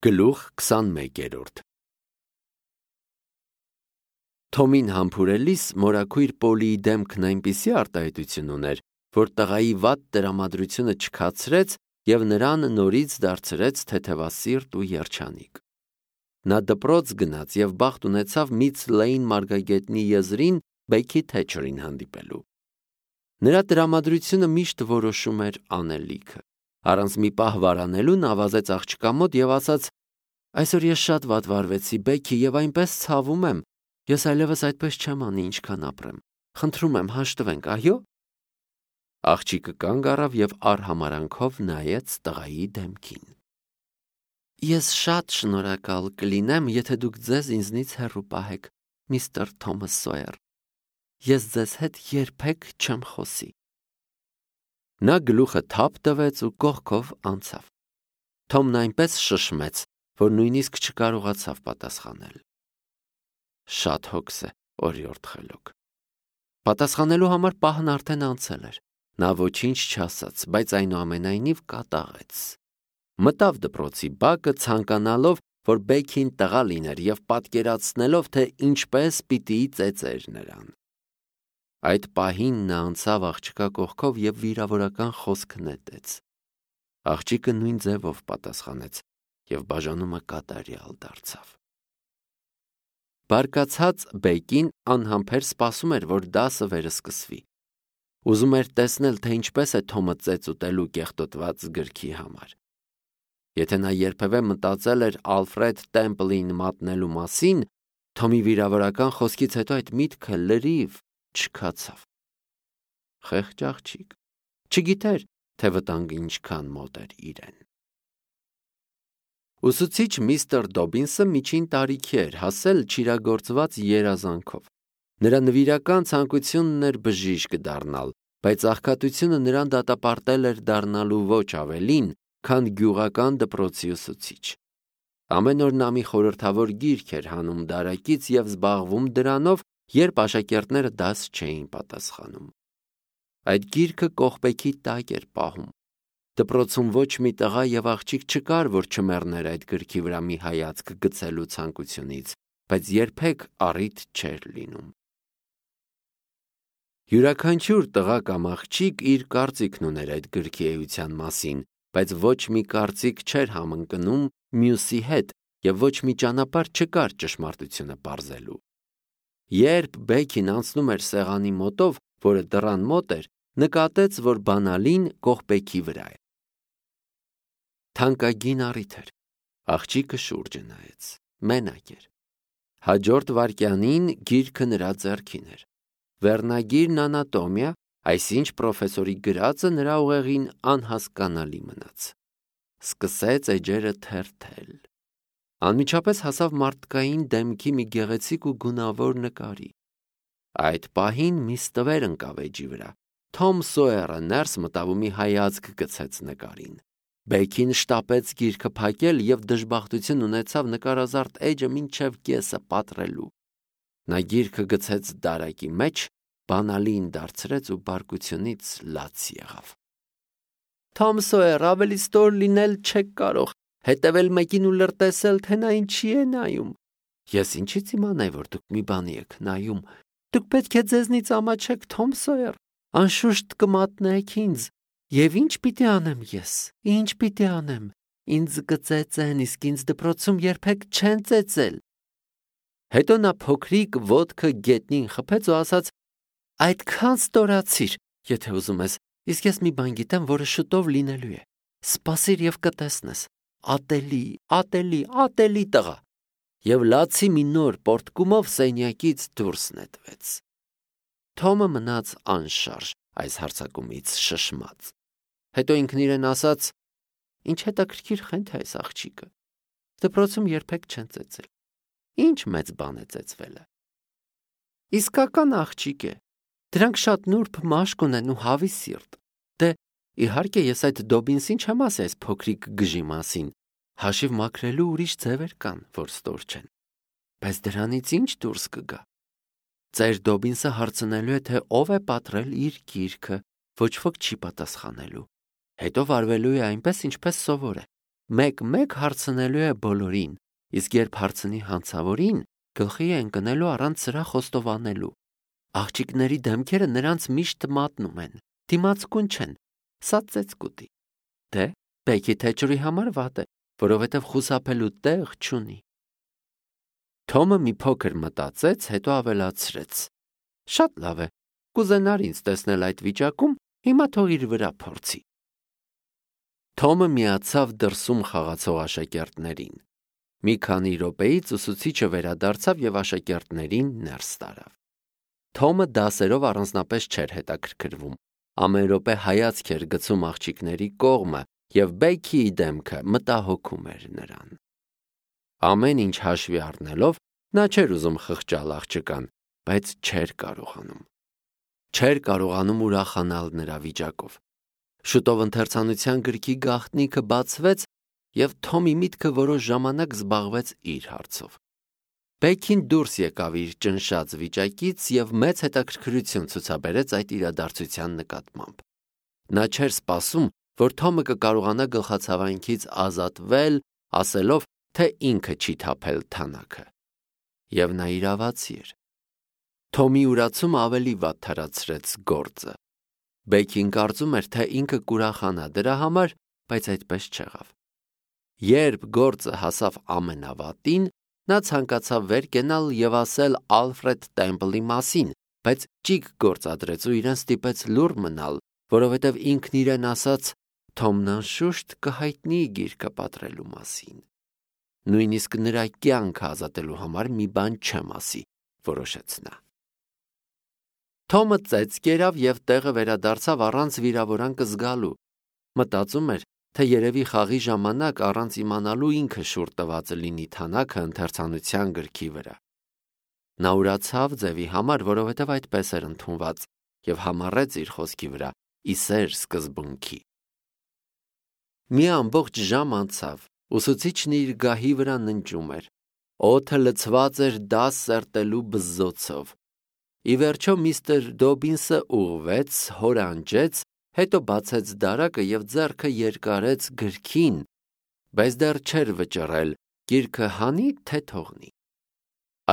Գլուխ 21 Թոմին համբուրելիս մորաքույր Պոլիի դեմքն այնպիսի արտահայտություն ուներ, որ տղայի վատ տրամադրությունը չքացրեց և նրան նորից դարձրեց թեթևասիրտ ու երջանիկ։ Նա դպրոց գնաց և բախտ ունեցավ Միծ Լեյն մարգագետնի եզրին Բեքի Թեչերին հանդիպելու։ Նրա տրամադրությունը միշտ որոշում էր անելիքը։ Առանց մի պահ վարանելու նա վազեց աղջկա մոտ և ասաց. «Այսօր ես շատ վատ վարվեցի, Բեքի, և այնպես ցավում եմ։ Ես այլևս այդպես չեմ անի, ինչքան ապրեմ։ Խնդրում եմ, հաշտվենք, այո»։ Աղջիկը կանգ առավ և արհամարհանքով նայեց տղայի դեմքին։ «Ես շատ շնորհակալ կլինեմ, եթե դուք ձեզ ինձնից հեռու պահեք, միստր Թոմաս Սոյեր։ Ես ձեզ հետ երբեք չեմ խոսի»։ Նա գլուխը թափ տվեց ու կողքով անցավ։ Թոմն այնպես շշմեց, որ նույնիսկ չկարողացավ պատասխանել։ Շատ հոգս է, օրիորդ խելոք։ Պատասխանելու համար պահն արդեն անցել էր։ Նա ոչինչ չասաց, բայց այնուամենայնիվ կատաղեց։ Մտավ դպրոցի բակը, ցանկանալով, որ Բեքին տղա լիներ և պատկերացնելով, թե ինչպես պիտի ծեծեր նրան։ Այդ պահին նա անցավ աղջկա կողքով և վիրավորական խոսք նետեց։ Աղջիկը նույն ձևով պատասխանեց և բաժանումը կատարյալ դարձավ։ Բարկացած Բեկին անհամբեր սպասում էր, որ դասը վերսկսվի։ Ուզում էր տեսնել, թե ինչպես է Թոմը ծեծ ուտելու կեղտոտված գրքի համար։ Եթե նա երբևէ մտածել էր Ալֆրեդ Տեմպլին մատնելու մասին, Թոմի վիրավորական խոսքից հետո այդ միտքը լրիվ չքացավ։ Խեղճ աղջիկ, չգիտեր, թե վտանգը ինչքան մոտ էր իրեն։ Ուսուցիչ միստր Դոբինսը միջին տարիքի էր, հասել չիրագործված երազանքով։ Նրա նվիրական ցանկությունն էր բժիշկ դառնալ, բայց աղքատությունը նրան դատապարտել էր դառնալու ոչ ավելին, քան գյուղական դպրոցի ուսուցիչ։ Ամեն օր նա մի խորհրդավոր գիրք էր հանում դարակից և զբաղվում դրանով, երբ աշակերտները դաս չէին պատասխանում։ Այդ գիրքը կողպեքի տակ էր պահում։ Դպրոցում ոչ մի տղա և աղջիկ չկար, որ չմեռներ այդ գրքի վրա մի հայացք գցելու ցանկությունից, բայց երբեք առիթ չէր լինում։ Յուրաքանչյուր տղա կամ աղջիկ իր կարծիքն ուներ այդ գրքի էության մասին, բայց ոչ մի կարծիք չէր համընկնում մյուսի հետ և ոչ մի ճանապարհ չկար ճշմարտությունը պարզելու։ Երբ Բեքին անցնում էր սեղանի մոտով, որը դռան մոտ էր, նկատեց, որ բանալին կողպեքի վրա է։ Թանկագին առիթ էր։ Աղջիկը շուրջը նայեց։ Մենակ էր։ Հաջորդ վայրկյանին գիրքը նրա ձեռքին էր։ Վերնագիրն անատոմիա, այսինչ պրոֆեսորի գրածը նրա ուղեղին անհասկանալի մնաց։ Սկսեց էջերը թերթել։ Անմիջապես հասավ մարդկային դեմքի մի գեղեցիկ ու գունավոր նկարի։ Այդ պահին մի ստվեր ընկավ էջի վրա։ Թոմ Սոյերը ներս մտավ ու մի հայացք գցեց նկարին։ Բեքին շտապեց գիրքը փակել և դժբախտություն ունեցավ նկարազարդ էջը մինչև կեսը պատռելու։ Նա գիրքը գցեց դարակի մեջ, բանալին դարձրեց ու բարկությունից լաց եղավ։ Թոմ Սոյեր, ավելի ստոր լինել չեք կարող, հետևել մեկին ու լրտեսել, թե նա ինչի է նայում։ Ես ինչից իմանայի, որ դուք մի բանի եք նայում։ Դուք պետք է ձեզնից ամաչեք, Թոմ Սոյեր, անշուշտ կմատնեք ինձ։ Եվ ինչ պիտի անեմ ես։ Ինչ պիտի անեմ։ Ինձ կծեծեն, իսկ ինձ դպրոցում երբեք չեն ծեծել։ Հետո նա փոքրիկ ոտքը գետնին խփեց ու ասաց. այդքան ստորացիր, եթե ուզում ես, իսկ ես մի բան գիտեմ, որը շուտով լինելու է։ Սպասիր և կտեսնես։ Ատելի, ատելի, ատելի տղա։ Եվ լացի մի նոր պոռթկումով սենյակից դուրս նետվեց։ Թոմը մնաց անշարժ այս հարձակումից շշմած։ Հետո ինքն իրեն ասաց. ինչ հետաքրքիր խենթ է այս աղջիկը։ Դպրոցում երբեք չեն ծեծել։ Ինչ մեծ բան է ծեծվելը։ Իսկական աղջիկ է։ Դրանք շատ նուրբ մաշկ ունեն ու հավի սիրտ։ Դե, իհարկե, ես այդ Դոբինսին չեմ ասի այս փոքրիկ գժի մասին։ Հաշիվ մաքրելու ուրիշ ձևեր կան, որ ստոր չեն։ Բայց դրանից ինչ դուրս կգա։ Ծեր Դոբինսը հարցնելու է, թե ով է պատռել իր գիրքը, ոչ ոք չի պատասխանելու։ Հետո վարվելու է այնպես, ինչպես սովոր է։ մեկ-մեկ հարցնելու է բոլորին, իսկ երբ հարցնի հանցավորին, գլխի է ընկնելու առանց սրա խոստովանելու։ Աղջիկների դեմքերը նրանց միշտ մատնում են, դիմացկուն չեն, սա ծեծկուտի։ Դե, Բեքի Թեչերի համար վատ է, որովհետև խուսափելու տեղ չունի։ Թոմը մի փոքր մտածեց, հետո ավելացրեց. Շատ լավ է, կուզենար ինձ տեսնել այդ վիճակում, հիմա թող իր վրա փորձի։ Թոմը միացավ դրսում խաղացող աշակերտներին։ Մի քանի րոպեից ուսուցիչը վերադարձավ եւ աշակերտներին ներս տարավ։ Թոմը դասերով առանձնապես չէր հետաքրքրվում։ Ամեն րոպե հայացք էր գցում աղջիկների կողմը եւ Բեքիի դեմքը մտահոգում էր նրան։ Ամեն ինչ հաշվի առնելով, նա չէր ուզում խղճալ աղջկան, բայց չէր կարողանում։ Չէր կարողանում ուրախանալ նրա վիճակով։ Շուտով ընթերցանության գրքի գաղտնիքը բացվեց եւ Թոմի միտքը որոշ ժամանակ զբաղվեց իր հարցով։ Բեքին դուրս եկավ իր ճնշած վիճակից եւ մեծ հետաքրքրություն ցուցաբերեց այդ իրադարձության նկատմամբ։ Նա չէր սպասում, որ Թոմը կկարողանա գլխացավանքից ազատվել, ասելով, թե ինքը չի թափել թանաքը։ Եվ նա իրավացի էր։ Թոմի ուրացումը ավելի վատ թարացրեց գործը։ Բեքին կարծում էր, թե ինքը կուրախանա դրա համար, բայց այդպես չեղավ։ Երբ գործը հասավ ամենավատին, նա ցանկացավ վեր կենալ եւ ասել Ալֆրեդ Տեմպլի մասին, բայց ճիգ գործադրեց ու իրեն ստիպեց լուռ մնալ, որովհետեւ ինքն իրեն ասաց. Թոմն անշուշտ կհայտնի գիրքը պատրելու մասին։ Նույնիսկ նրա կյանքը ազատելու համար մի բան չեմ ասի, որոշեց նա։ Թոմը ծեծ կերավ եւ տեղը վերադարձավ առանց վիրավորանքը զգալու։ Մտածում էր, թե երևի խաղի ժամանակ առանց իմանալու ինքը շուռ տված լինի թանաքը ընթերցանության գրքի վրա։ Նա ուրացավ ձևի համար, որովհետև այդպես էր ընդունված, եւ համառեց իր խոսքի վրա՝ ի սեր սկզբունքի։ Մի ամբողջ ժամ անցավ, ուսուցիչն իր գահի վրա ննջում էր։ Օդը լցված էր դաս սերտելու բզզոցով։ Ի վերջո միստր Դոբինսը ուղղվեց, հորանջեց, հետո բացեց դարակը եւ ձեռքը երկարեց գրքին, բայց դեռ չէր վճռել, գիրքը հանի թե թողնի։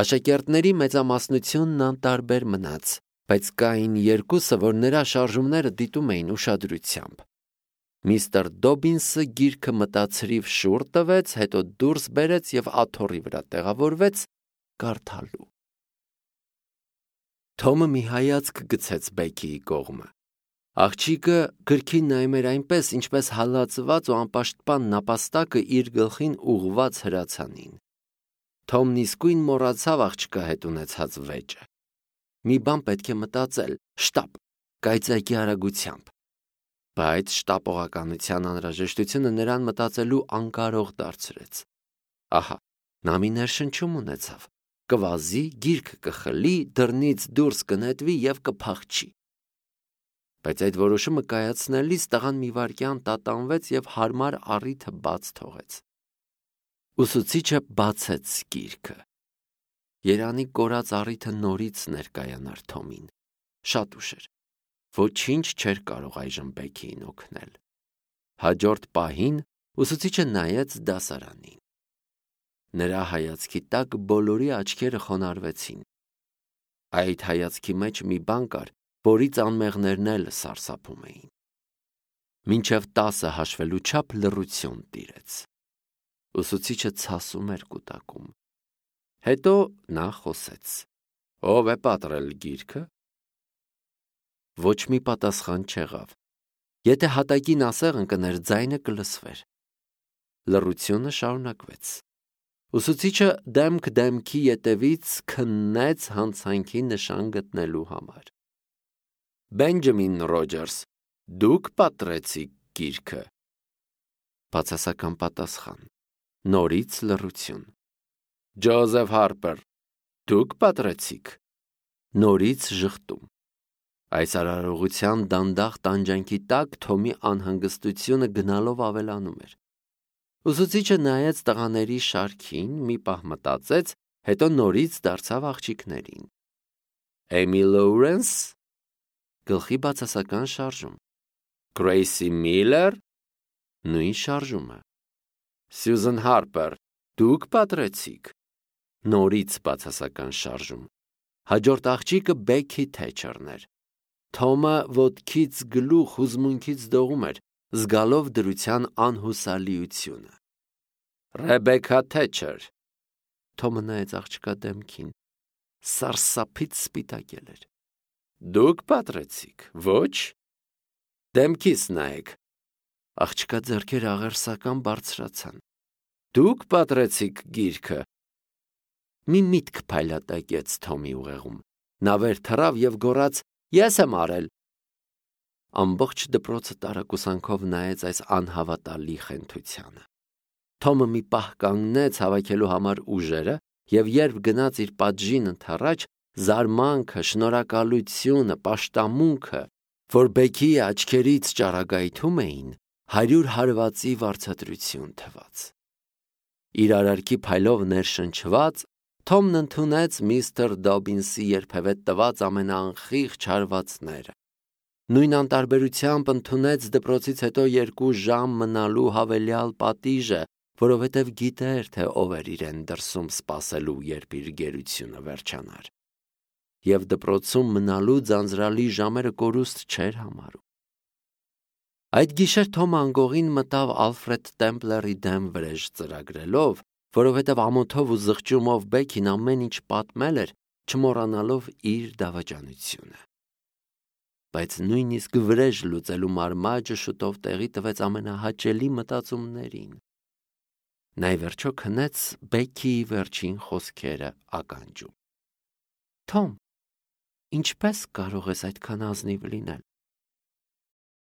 Աշակերտների մեծամասնությունն անտարբեր մնաց, բայց կային երկուսը, որ նրա շարժումները դիտում էին ուշադրությամբ։ Միստր Դոբինսը գիրքը մտածրիվ շուռ տվեց, հետո դուրս բերեց եւ աթոռի վրա տեղավորվեց կարդալու։ Թոմը մի հայացք գցեց Բեքիի կողմը։ Աղջիկը գրքին նայում էր այնպես, ինչպես հալածված ու անպաշտպան նապաստակը իր գլխին ուղղված հրացանին։ Թոմն իսկույն մոռացավ աղջկա հետ ունեցած վեճը։ Մի բան պետք է մտածել, շտապ, կայծակի արագությամբ։ Բայց շտապողականության անհրաժեշտությունը նրան մտածելու անկարող դարձրեց։ Ահա, նա մի ներշնչում ունեցավ։ Կվազի, գիրքը կխլի, դռնից դուրս կնետվի եւ կփախչի։ Բայց այդ որոշումը կայացնելիս տղան մի վայրկյան տատանվեց եւ հարմար առիթը բաց թողեց։ Ուսուցիչը բացեց գիրքը։ Երանի կորած առիթը նորից ներկայանար Թոմին։ Շատ ուշ էր։ Ոչինչ չէր կարող այժմ Բեքիին օգնել։ Հաջորդ պահին ուսուցիչը նայեց դասարանին։ Նրա հայացքի տակ բոլորի աչքերը խոնարհվեցին։ Այդ հայացքի մեջ մի բան կար, որից անմեղներն էլ սարսափում էին։ Մինչև 10 հաշվելու չափ լռություն տիրեց։ Ուսուցիչը ցասում էր կուտակում։ Հետո նա խոսեց. Ո՞վ է պատրել գիրքը։ Ոչ մի պատասխան չեղավ։ Եթե հատակին ասեղ ընկներ, ձայնը կլսվեր։ Լռությունը շարունակվեց։ Ուսուցիչը դեմք դեմքի ետևից քննեց հանցանքի նշան գտնելու համար։ Բենջամին Ռոջերս, դուք պատրեցիք գիրքը։ Բացասական պատասխան։ Նորից լռություն։ Ջոզեֆ Հարպեր, դուք պատրեցիք։ Նորից ժխտում։ Այս արարողության դանդաղ տանջանքի տակ Թոմի անհանգստությունը գնալով ավելանում էր։ Ուսուցիչը նայեց տղաների շարքին, մի պահ մտածեց, հետո նորից դարձավ աղջիկներին։ Էմի Լոուրենս, գլխի բացասական շարժում։ Գրեյսի Միլլեր, նույն շարժումը։ Սյուզեն Հարպեր, դուք պատրեցիք։ Նորից բացասական շարժում։ Հաջորդ աղջիկը Բեքի Թեչերն էր։ Թոմը ոտքից գլուխ հուզմունքից դողում էր, զգալով դրության անհուսալիությունը։ Ռեբեկա Թեչեր։ Թոմը նայեց աղջկա դեմքին, սարսափից սպիտակել էր։ Դուք պատրեցիք, ոչ։ Դեմքիս նայեք։ Աղջկա ձեռքերը աղերսական բարձրացան։ Դուք պատրեցիք գիրքը։ Մի միտք փայլատակեց Թոմի ուղեղում։ Նա վեր թռավ և գոռաց. Ես եմ արել։ Ամբողջ դպրոցը տարակուսանքով նայեց այս անհավատալի խենթությանը։ Թոմը մի պահ կանգնեց հավաքելու համար ուժերը և երբ գնաց իր պատժին ընդառաջ, զարմանքը, շնորհակալությունը, պաշտամունքը, որ Բեքիի աչքերից ճառագայթում էին, 100 հարվածի վարձատրություն թվաց։ Իր արարքի փայլով ներշնչված, Թոմն ընդունեց միստր Դոբինսի երբևէ տված ամենաանխիղճ հարվածները։ Նույն անտարբերությամբ ընդունեց դպրոցից հետո 2 ժամ մնալու հավելյալ պատիժը, որովհետև գիտեր, թե ով էր իրեն դրսում սպասելու, երբ իր գերությունը վերջանար։ Եվ դպրոցում մնալու ձանձրալի ժամերը կորուստ չէր համարում։ Այդ գիշեր Թոմը անգողին մտավ Ալֆրեդ Տեմպլերի դեմ վրեժ ծրագրելով, որովհետև ամոթով ու զղջումով Բեքին ամեն ինչ պատմել էր, չմոռանալով իր դավաճանությունը։ Բայց նույնիսկ վրեժ լուծելու մարմաճը շուտով տեղի տվեց ամենահաճելի մտածումներին։ Նա ի վերջո քնեց Բեքիի վերջին խոսքերը ականջում։ Թոմ, ինչպես կարող ես այդքան ազնիվ լինել։